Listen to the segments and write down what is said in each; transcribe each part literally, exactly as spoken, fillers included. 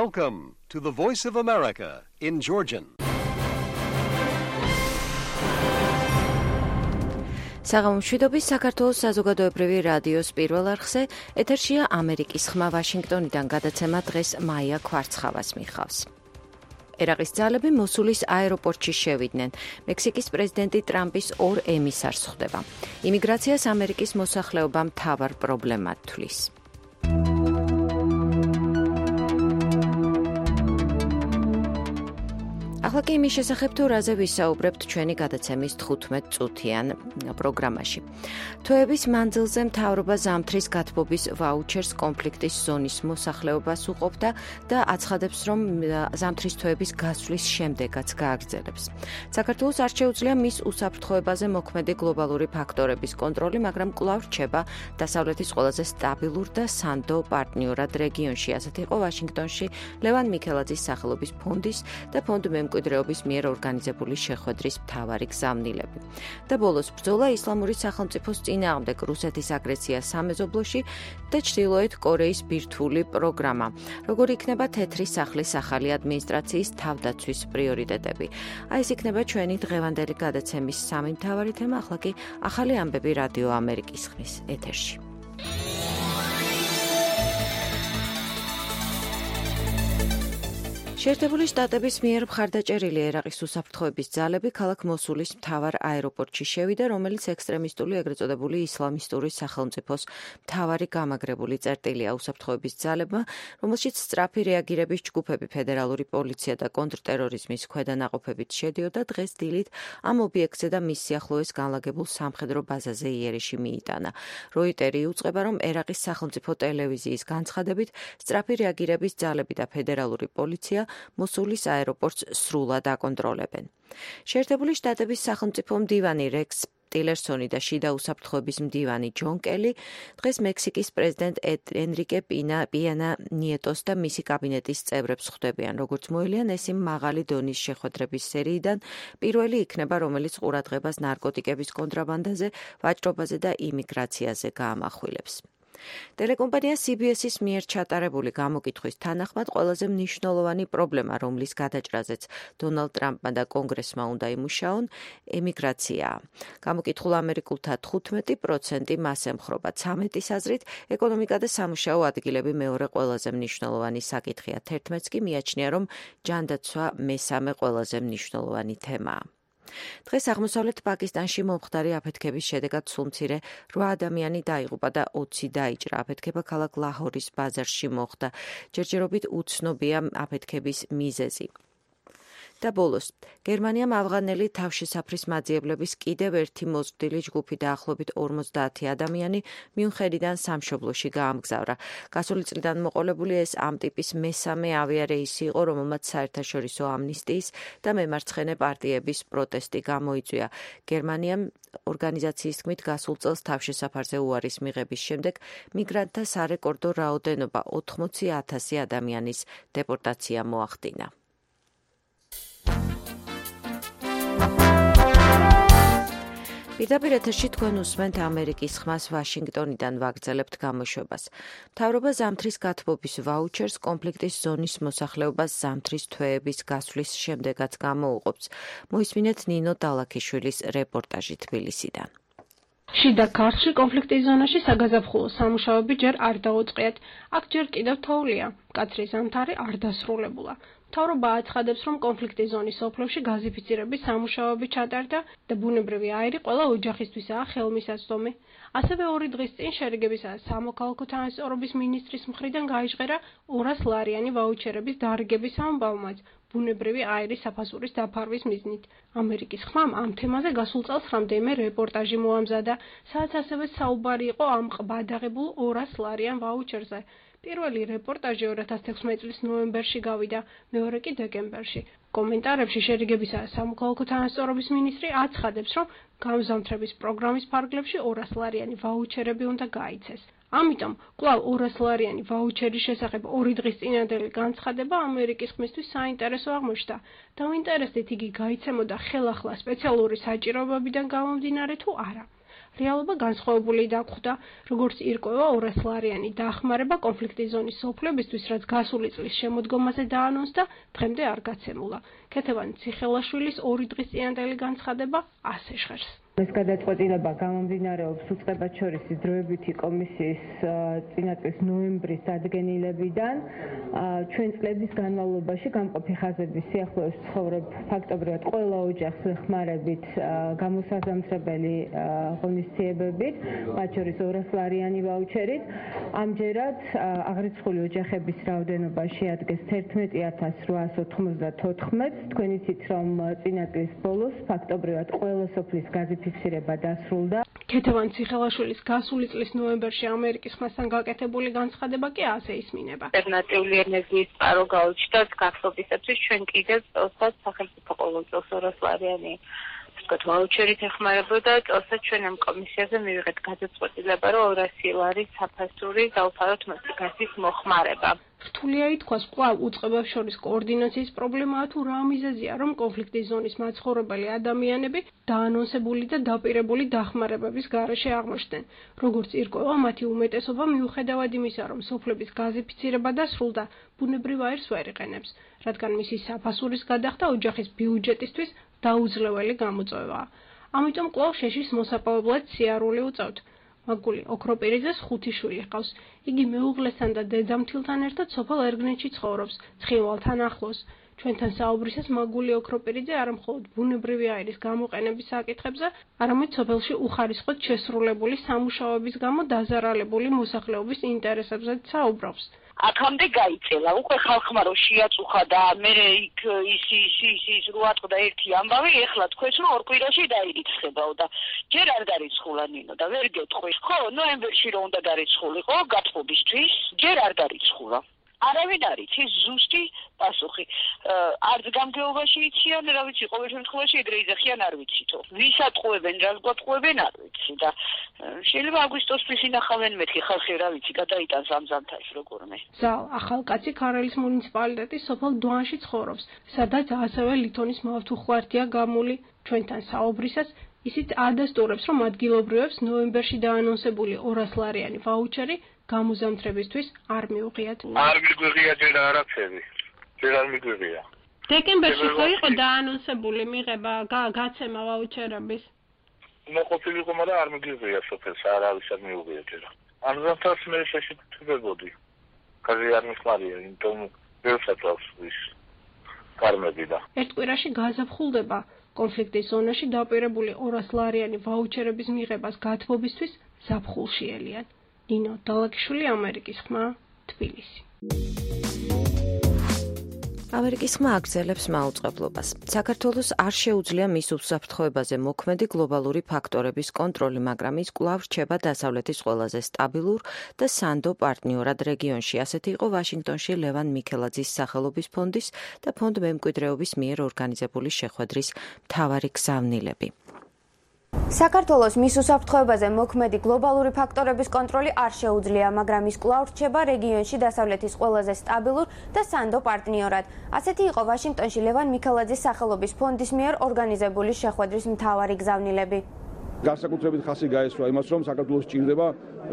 Welcome to the Voice of America in Georgian. საღამომშვიდობის საქართველოს საზოგადოებრივი რადიოს პირველ არხზე ეთერშია ამერიკის ხმა ვაშინგტონიდან გადაცემა დღეს მაია ქვარცხავას მიხავს. ერაყის ძალები მოსულის აეროპორტში შევიდნენ. მექსიკის პრეზიდენტი ტრამპის ორ ემისარს ხვდება. იმიგრაციას ამერიკის მოსახლეობა მთავარ პრობლემად თვლის. ახლა კი იმის შესახებ თუ რაზე ვისაუბრებთ ჩვენი გადაცემის თხუთმეტ წუთიან პროგრამაში. თვეების მანძილზე მთავრობა ზამთრის გათბობის ვაუჩერს კონფლიქტის ზონის მოსახლეობას უყოფდა და აცხადებს, რომ ზამთრის თვეების გასვლის შემდეგაც გააგრძელებს. საქართველოს არ შეუძლია მის უსაფრთხოებაზე მოქმედი გლობალური ფაქტორების კონტროლი, მაგრამ კვლავ რჩება დასავლეთის ყველაზე სტაბილურ და სანდო პარტნიორად რეგიონში. ასეთ იყო ვაშინგტონში ლევან მიქელაძის სახელობის ფონდის და ფონდ მემკვიდრეობის მიერ ორგანიზებული შეხვედრის მთავარი გზავნილები. და ბოლოს ბრძოლა ისლამური სახელმწიფოს წინააღმდეგ რუსეთის აგრესია სამეზობლოში და ჩრდილოეთ კორეის ბირთვული პროგრამა. როგორი იქნება თეთრი სახლის ახალი ადმინისტრაციის თავდაცვის პრიორიტეტები. აი ეს იქნება ჩვენი დღევანდელი გადაცემის სამი მთავარი თემა, ახლა კი ახალი ამბები რადიო ამერიკის ხმის ეთერში. შეერთებული შტატების მიერ მხარდაჭერილი ერაყის უსაფრთხოების ძალები ქალაქ მოსულის მთავარ აეროპორტში შევიდა, რომელიც ექსტრემისტული ეგრეთ წოდებული ისლამისტური სახელმწიფოს მთავარი გამაგრებული წერტილია უსაფრთხოების ძალებმა, რომელშიც სწრაფი რეაგირების ჯგუფები, ფედერალური პოლიცია და კონტრტერორიზმის ქვედანაყოფებით შედიოდა, დღეს დილით ამ ობიექტზე და მის სიახლოვეს განლაგებულ სამხედრო ბაზაზე იერიში მიიტანა. როიტერი იუწყება, რომ ერაყის სახელმწიფო ტელევიზიის განცხადებით სწრაფი რეაგირების ძალები და ფედერალური პოლიცია მოსულის აეროპორტს სრულად აკონტროლებენ. შეერთებული შტატების სახელმწიფო მდივანი რექს ტილერსონი და შიდა უსაფრთხოების მდივანი ჯონ კელი დღეს მექსიკის პრეზიდენტ ენრიკე პენა ნიეტოს და მისი კაბინეტის წევრებს ხვდებიან. როგორც მოილიან, ეს იმ მაღალი დონის შეხვედრების სერიიდან პირველი იქნება, რომელიც ყურადღებას ნარკოტიკების კონტრაბანდაზე, ვაჭრობაზე და იმიგრაციაზე გაამახვილებს. ტელეკომპანია სი ბი ეს-ის მიერ ჩატარებული გამოკითხვის თანახმად ყველაზე მნიშვნელოვანი პრობლემა, რომლის გადაჭრაზეც დონალდ ტრამპმა და კონგრესმა უნდა იმუშაონ, ემიგრაციაა. გამოკითხულ ამერიკულთა თხუთმეტი პროცენტი მას ემხრობა. ცამეტის აზრით, ეკონომიკა და სამუშაო ადგილები მეორე ყველაზე მნიშვნელოვანი საკითხია. თერთმეტს კი მიაჩნია, რომ ჯანდაცვა მესამე ყველაზე მნიშვნელოვანი თემაა. დღეს აღმოსავლეთ პაკისტანში მომხდარი აფეთქების შედეგად სულ მცირე რვა ადამიანი დაიღუპა და ოცი დაიჭრა. აფეთქება ქალაქ ლაჰორის ბაზარში მოხდა. ჯერჯერობით უცნობია აფეთქების მიზეზი. და ბოლოს, გერმანიამ ავღანელი თავშესაფრის მაძიებლების კიდევ ერთი მოზრდილი ჯგუფი დაახლოებით ორმოცდაათი ადამიანი მიუნხენიდან სამშობლოში გაამგზავრა. გასული წლიდან მოყოლებული ეს ამ ტიპის მესამე ავიარეისი იყო, რომელმაც საერთაშორისო ამნისტიის და მემარცხენე პარტიების პროტესტი გამოიწვია. გერმანიამ ორგანიზაციის თქმით გასულ წელს თავშესაფარზე უარის მიღების შემდეგ მიგრანტთა სარეკორდო რაოდენობა ოთხმოცი ათასი ადამიანის დეპორტაცია მოახდინა. პირდაპირ ეთერში თქვენ უსმენთ ამერიკის ხმას ვაშინგტონიდან ვაგრძელებთ გამოშვებას. მთავრობა ზამთრის გათბობის ვაუჩერს კონფლიქტის ზონის მოსახლეობას ზამთრის თვეების გასვლის შემდეგაც გამოუყოფს. მოისმინეთ ნინო დალაქიშვილის რეპორტაჟი თბილისიდან. შიდა ქართლში კონფლიქტის ზონაში საგაზაფხულო სამუშაოები ჯერ არ დაუწყიათ. აქ ჯერ კიდევ თოვლია. მკაცრი ზამთარი არ დასრულებულა. მთავრობა აცხადებს, რომ კონფლიქტის ზონის სოფლებში გაზიფიცირების სამუშაოები ჩატარდა და ბუნებრივი აირი ყველა ოჯახისთვისაა ხელმისაწვდომი. ასევე ორი დღის წინ შერიგებისა სამოქალაქო თანასწორობის მინისტრის მხრიდან გაიჟღერა ორას ლარიანი ვაუჩერების დარგების ამბავმაც ბუნებრივი აირის საფასურის დაფარვის მიზნით. ამერიკის ხმამ ამ თემაზე გასულ წელს რამდენიმე რეპორტაჟი მოამზადა, სადაც ასევე საუბარი იყო ამ ყბადაღებულ ორას ლარიან ვაუჩერზე. პირველი რეპორტაჟი ორი ათას თექვსმეტი წლის ნოემბერში გავიდა, მეორე კი დეკემბერში. კომენტარებში შერიგებისა სამოქალაქო თანასწორობის მინისტრი აცხადებს, რომ გამზამთრების პროგრამის ფარგლებში ორას ლარიანი ვაუჩერები უნდა გაიცეს. ამიტომ კვლავ ორას ლარიანი ვაუჩერის შესახებ ორი დღის წინანდელი განცხადება ამერიკის ხმისთვის საინტერესო აღმოჩნდა. დავინტერესდით, იგი გაიცემოდა ხელახლა სპეციალური საჭიროებებიდან გამომდინარე თუ არა. რეალობა განსხვავებული დაგვხვდა, როგორც ირკვევა ორასლარიანი დახმარება კონფლიქტის ზონის სოფლებისთვის, რაც გასული წლის შემოდგომაზე დაანონსდა, დღემდე არ გაცემულა. ქეთევან ციხელაშვილის ორი დღის წინანდელი განცხადება ასე ჟღერს. ეს გადაწყვეტილება გამომდინარეობს უწყებად შორისი დროებითი კომისიის წინაწლის ნოემბრის დადგენილებიდან. ჩვენ წლების განმავლობაში გამყოფი ხაზების სიახლოვეს ცხოვრობ ფაქტობრივად ყველა ოჯახს ვეხმარებით გამოსაზამთრებელი ღონისძიებებით, მათ შორის ორასლარიანი ვაუჩერით. ამჯერად აღრიცხული ოჯახების რაოდენობა შეადგენს თერთმეტი ათას რვაას ოთხმოცდათოთხმეტს. თქვენ იცით, რომ წინაწლის ბოლოს ფაქტობრივად ყველა სოფლის გაზი ფიქსირება დასრულდა. ქეთევან ციხელაშვილის გასული წლის ნოემბერში ამერიკის ხმასთან გაკეთებული განცხადება კი ასე ისმინება. ალტერნატიული ენერგიის წყარო გაუჩნდათ გათხრობისათვის ჩვენ კიდევ წელსაც სახელმწიფო ყოველ წელს ორასლარიანი ვთქვათ ვაუჩერით ეხმარებოდა. წელსაც ჩვენ ამ კომისიაზე მივიღეთ გადაწყვეტილება, რომ ორასი ლარი საფასური დავფაროთ მოსიკასის მოხმარება. რთულია ითქვას, კვლავ უწყებებს შორის კოორდინაციის პრობლემაა თუ რა მიზეზია, რომ კონფლიქტის ზონის მაცხოვრებელი ადამიანები დაანონსებული და დაპირებული დახმარებების გარეშე აღმოჩნდნენ. როგორც ირკვევა, მათი უმეტესობა მიუხედავად იმისა, რომ სოფლების გაზიფიცირება დასრულდა, ბუნებრივ აირს ვერ იყენებს, რადგან მისი საფასურის გადახდა ოჯახის ბიუჯეტისთვის დაუძლეველი გამოწვევაა. ამიტომ კვლავ შეშის მოსაპოვებლად სიარული უწევთ. მაგული ოქროპირიძეს ხუთი შვილი ჰყავს. იგი მეუღლესთან და დედამთილთან ერთად სოფელ ერგნეთში ცხოვრობს, ცხინვალთან ახლოს. ჩვენთან საუბრისას მაგული ოქროპირიძე არა მხოლოდ ბუნებრივი აირის გამოყენების საკითხებზე, არამედ სოფელში უხარისხოდ შესრულებული სამუშაოების გამო დაზარალებული მოსახლეობის ინტერესებზეც საუბრობს. აქამდე გაიწელა, უკვე ხალხმა რო შეაწუხა და მე იქ ის ის ის ის რო ატყდა ერთი ამბავი, ეხლა თქვენს რომ ორ კვირაში დაირიცხებაო და ჯერ არ დარიცხულა ნინო და ვერ გეტყვი. ხო, ნოემბერში რო უნდა დარიცხულიყო გათხოვისთვის, ჯერ არ დარიცხულა. არავინ არ იცის ზუსტი პასუხი. არც გამგეობაში იციან, რა ვიცი, ყოველ შემთხვევაში ეგრე იძახიან არ ვიცითო. ვის ატყუებენ, რას გვატყუებენ არ ვიცი და შეიძლება აგვისტოსთვის ინახავენ მეთქი ხალხი რა ვიცი, გადაიტანს ამ ზამთარში როგორმე. ზალ ახალკაცი ქარელის მუნიციპალიტეტის სოფელ დვანში ცხოვრობს, სადაც ასევე ლითონის მავთუხვართია გამული. ჩვენთან საუბრისას ისიც ადასტურებს, რომ ადგილობრივებს ნოემბერში დაანონსებული ორასლარიანი ვაუჩერი გამოზამთრებისთვის არ მიუღიათ. არ მიგვიღია ჯერ არაფერი. ჯერ არ მიგვიღია. დეკემბერში ხო იყო დაანონსებული მიღება გაცემა ვაუჩერების? მოყოფილიყო, მაგრამ არ მიგვიღია სოფელს, არავის არ მიუღია ჯერ. ამ ზამთარს მე შეშეთებოდი. კაზე არ მიხმარია, იმიტომ ვერ საწავს ის კარმები და. ერთ კვირაში გაზაფხულდება. კონფლიქტის ზონაში დაპირებული ორასლარიანი ვაუჩერების მიღებას გათბობისთვის ზაფხულში ელიან. ნინო დალაკიშვილი, ამერიკის ხმა, თბილისი. ამერიკის ხმა აგრძელებს მაუწყებლობას. საქართველოს არ შეუძლია მის უსაფრთხოებაზე მოქმედი გლობალური ფაქტორების კონტროლი, მაგრამ ის კვლავ რჩება დასავლეთის ყველაზე სტაბილურ და სანდო პარტნიორად რეგიონში. ასეთი იყო ვაშინგტონში ლევან მიქელაძის სახელობის ფონდის და ფონდ მემკვიდრეობის მიერ ორგანიზებული შეხვედრის მთავარი გზავნილები. საქართველოს მის უსაფრთხოებაზე მოქმედი გლობალური ფაქტორების კონტროლი არ შეუძლია, მაგრამ ის კვლავ რჩება რეგიონში დასავლეთის ყველაზე სტაბილურ და სანდო პარტნიორად. ასეთი იყო ვაშინგტონში ლევან მიქელაძის სახელობის ფონდის მიერ ორგანიზებული შეხვედრის მთავარი გზავნილები. განსაკუთრებით ხაზი გაესვა იმას, რომ საქართველოს ჭირდება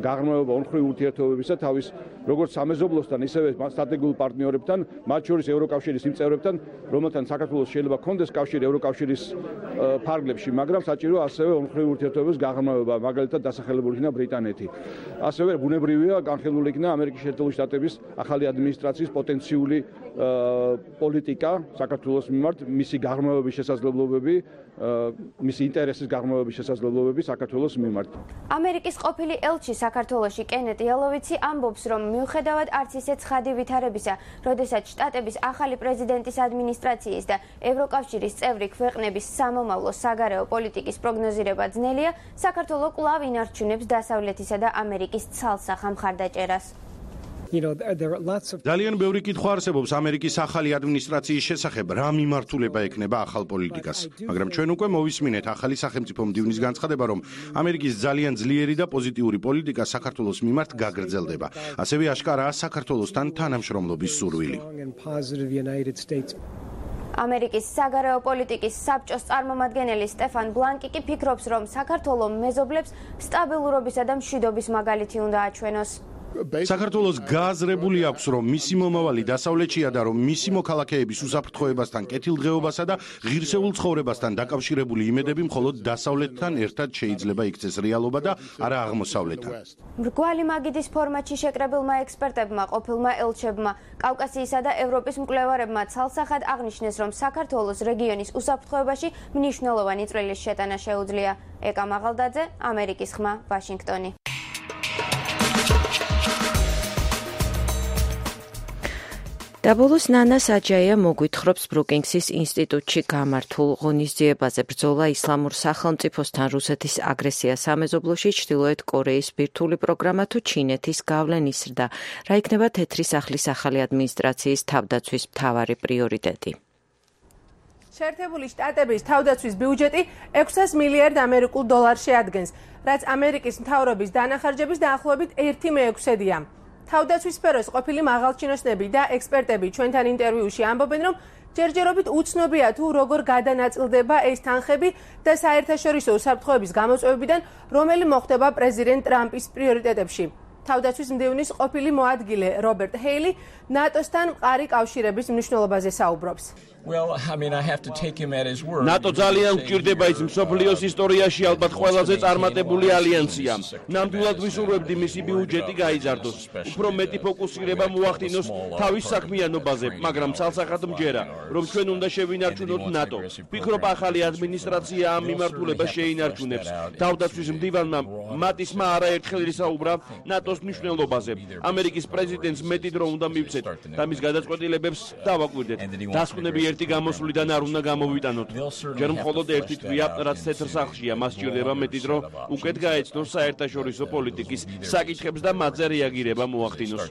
გაღრმავება ორმხრივი ურთიერთობებისა თავის როგორც სამეზობლოსთან, ისევე სტრატეგიულ პარტნიორებთან, მათ შორის ევროკავშირის იმ წევრებთან, რომელთან საქართველოს შეიძლება ჰქონდეს კავშირი ევროკავშირის ფარგლებში, მაგრამ საჭიროა ასევე ორმხრივი ურთიერთობების გაღრმავება, მაგალითად დასახელებული იქნა ბრიტანეთი. ასევე ბუნებრივია განხილული იქნა ამერიკის შეერთებული შტატების ახალი ადმინისტრაციის პოტენციური პოლიტიკა საქართველოს მიმართ, მისი გაღრმავების შესაძლებლობები, მისი ინტერესის გაღრმავების შესაძლებლობები საქართველოს მიმართ. ამერიკის ყოფილი ელჩი საქართველოში კენეტ იალოვიცი ამბობს, რომ მიუხედავად არც ისე ცხადი ვითარებისა, როდესაც შტატების ახალი პრეზიდენტის ადმინისტრაციის და ევროკავშირის წევრი ქვეყნების სამომავლო საგარეო პოლიტიკის პროგნოზირება ძნელია, საქართველო კვლავ ინარჩუნებს დასავლეთისა და ამერიკის ცალსახა მხარდაჭერას. ძალიან ბევრი კითხვა არსებობს ამერიკის ახალი ადმინისტრაციის შესახებ, რა მიმართულება ექნება ახალ პოლიტიკას. მაგრამ ჩვენ უკვე მოვისმინეთ ახალი სახელმწიფო მდივნის განცხადება, რომ ამერიკის ძალიან ძლიერი და პოზიტიური პოლიტიკა საქართველოს მიმართ გაგრძელდება. ასევე აშკარაა საქართველოსთან თანამშრომლობის სურვილი. ამერიკის საგარეო პოლიტიკის საბჭოს წარმომადგენელი სტეფან ბლანკი კი ფიქრობს, რომ საქართველოს მეზობლებს სტაბილურობისა და მშვიდობის მაგალითი უნდა აჩვენოს. საქართველოს გააზრებული აქვს, რომ მისი მომავალი დასავლეთშია და რომ მისი მოქალაქეების უსაფრთხოებასთან, კეთილდღეობასა და ღირსეულ ცხოვრებასთან დაკავშირებული იმედები მხოლოდ დასავლეთთან ერთად შეიძლება იქცეს რეალობა და არა აღმოსავლეთთან. მრგვალი მაგიდის ფორმატში შეკრებილმა ექსპერტებმა, ყოფილმა ელჩებმა, კავკასიისა და ევროპის მკვლევარებმა ცალსახად აღნიშნეს, რომ საქართველოს რეგიონის უსაფრთხოებაში მნიშვნელოვანი წვლილის შეტანა შეუძლია. ეკა მაღალდაძე, ამერიკის ხმა, ვაშინგტონი. დაბოლოს ნანა საჯაია მოგვითხრობს ბრუკინგსის ინსტიტუტში გამართულ ღონისძიებაზე ბრძოლა ისლამურ სახელმწიფოსთან რუსეთის აგრესია სამეზობლოში, ჩრდილოეთ კორეის ბირთვული პროგრამა თუ ჩინეთის გავლენის ზრდა. რა იქნება თეთრი სახლის ახალი ადმინისტრაციის თავდაცვის მთავარი პრიორიტეტი? შეერთებული შტატების თავდაცვის ბიუჯეტი ექვსას მილიარდ ამერიკულ დოლარს შეადგენს, რაც ამერიკის მთავრობის დანახარჯების დაახლოებით ერთი მეექვსედია. თავდაცვის სფეროს ყოფილი მაღალჩინოსნები და ექსპერტები ჩვენთან ინტერვიუში ამბობენ, რომ ჯერჯერობით უცნობია თუ როგორ გადანაწილდება ეს თანხები და საერთაშორისო უსაფრთხოების გამოწვევებიდან, რომელი მოხდება პრეზიდენტ ტრამპის პრიორიტეტებში. თავდაცვის მდივნის ყოფილი მოადგილე რობერტ ჰეილი ნატოსთან მყარი კავშირების მნიშვნელობაზე საუბრობს. Well, I mean, I have to take him at his word. ნატო ძალიან გვჭირდება ის მსოფლიოს ისტორიაში ალბათ ყველაზე წარმატებული ალიანსია. ნამდვილად ვისურვებდი მისი ბიუჯეტი გაიზარდოს. უფრო მეტი ფოკუსირება მოახდინოს თავის საქმიანობაზე, მაგრამ ცალსახად მჯერა, რომ ჩვენ უნდა შევინარჩუნოთ ნატო. ვფიქრობ, ახალი ადმინისტრაცია ამ მიმართულებას შეინარჩუნებს. თავდაცვის მდივანმა მატისმა არაერთხელ ისაუბრა ნატოს მნიშვნელობაზე. ამერიკის პრეზიდენტს მეტი დრო უნდა მივცეთ და მის გადაწყვეტილებებს დავაკვირდეთ. დასკვნები ერთი გამოსვლიდან არ უნდა გამოვიტანოთ. ჯერ მხოლოდ ერთი თვია, რაც თეთრ სახლშია, მას სჭირდება მეტი დრო, უკეთ გაეცნოს საერთაშორისო პოლიტიკის საკითხებს და მათზე რეაგირება მოახდინოს.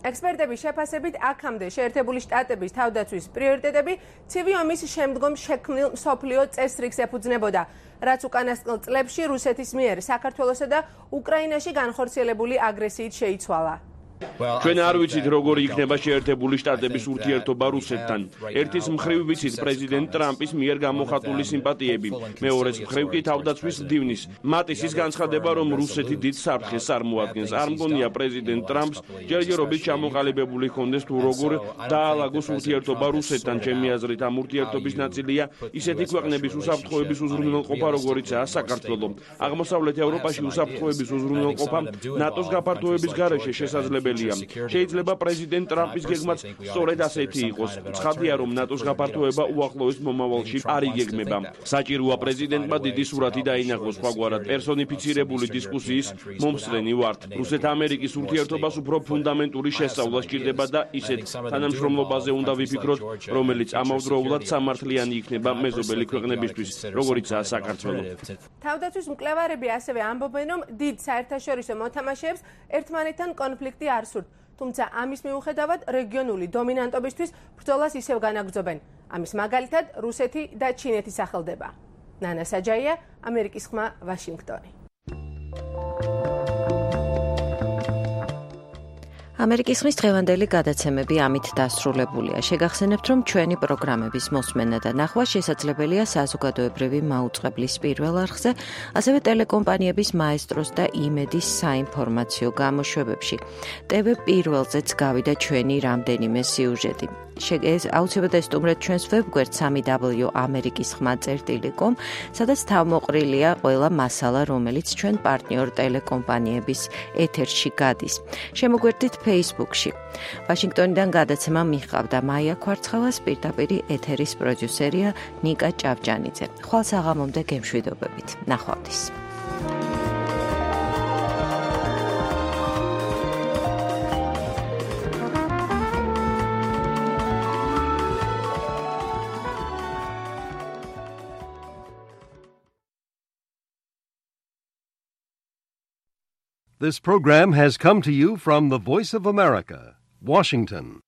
ექსპერტების შეფასებით აქამდე შეერთებული შტატების თავდაცვის პრიორიტეტები ცივი ომის შემდგომ შექმნილ მსოფლიო წესრიგს ეფუძნებოდა, რაც უკანასკნელ წლებში რუსეთის მიერ საქართველოსა და უკრაინაში განხორციელებული აგრესიით შეიცვალა. ჩვენ არ ვიცით როგორ იქნება შეერთებული შტატების ურთიერთობა რუსეთთან. ერთის მხრივ ვიცით პრეზიდენტ ტრამპის მიერ გამოხატული სიმპათიები, მეორეს მხრივ კი თავდაცვის მდივნის. მატისის განცხადება, რომ რუსეთი დიდ საფრთხეს წარმოადგენს. არ მგონია პრეზიდენტ ტრამპს ჯერჯერობით ჩამოყალიბებული ჰქონდეს თუ როგორ დაალაგოს ურთიერთობა რუსეთთან. ჩემი აზრით, ამ ურთიერთობის ნაწილია ისეთი ქვეყნების უსაფრთხოების უზრუნველყოფა, როგორიცაა საქართველო. აღმოსავლეთ ევროპაში უსაფრთხოების უზრუნველყოფა ნატოს გაფართოების გარეშე შესაძლებელია. შეიძლება პრეზიდენტ ტრამპის გეგმაც სწორედ ასეთი იყოს. ცხადია, რომ ნატოს გაფართოება უახლოეს მომავალში არ იგეგმება. საჭიროა პრეზიდენტმა დიდი სურათი დაინახოს, სხვაგვარად პერსონიფიცირებული დისკუსიის მომსწრენი ვართ. რუსეთ-ამერიკის ურთიერთობას უფრო ფუნდამენტური შესწავლა სჭირდება და ისეთ თანამშრომლობაზე უნდა ვიფიქროთ, რომელიც ამავდროულად სამართლიანი იქნება მეზობელი ქვეყნებისთვის, როგორიცაა საქართველო. თავდაცვის მკვლევარები ასევე ამბობენ, რომ დიდ საერთაშორისო მოთამაშეებს ერთმანეთთან კონფლიქტი არ სურთ, თუმცა ამის მიუხედავად რეგიონული დომინანტობისთვის ბრძოლას ისევ განაგრძობენ. ამის მაგალითად რუსეთი და ჩინეთი სახელდება. ნანა საჯაია, ამერიკის ხმა, ვაშინგტონი. ამერიკის ხმის დღევანდელი გადაცემები ამით დასრულებულია. შეგახსენებთ, რომ ჩვენი პროგრამების მოსმენა და ნახვა შესაძლებელია საზოგადოებრივი მაუწყებლის პირველ არხზე, ასევე ტელეკომპანიების მაესტროს და იმედის საინფორმაციო გამოშვებებში. ტევ პირველზეც გავიდა ჩვენი რამდენიმე სიუჟეტი. აუცილებლად ესტუმრეთ ჩვენს ვებგვერდს სამი დაბლიუ ამერიკის ხმა წერტილი კომ, სადაც თავმოყრილია ყველა მასალა, რომელიც ჩვენ პარტნიორ ტელეკომპანიების ეთერში გადის. შემოგვერდით Facebook-ში. ვაშინგტონიდან გადაცემა მიჰყავდა მაია ქვარცხელას, პირდაპირ ეთერის პროდიუსერია ნიკა ჭავჭანიძე. ხვალ საღამომდე გემშვიდობებით. ნახვამდის. This program has come to you from the Voice of America, Washington.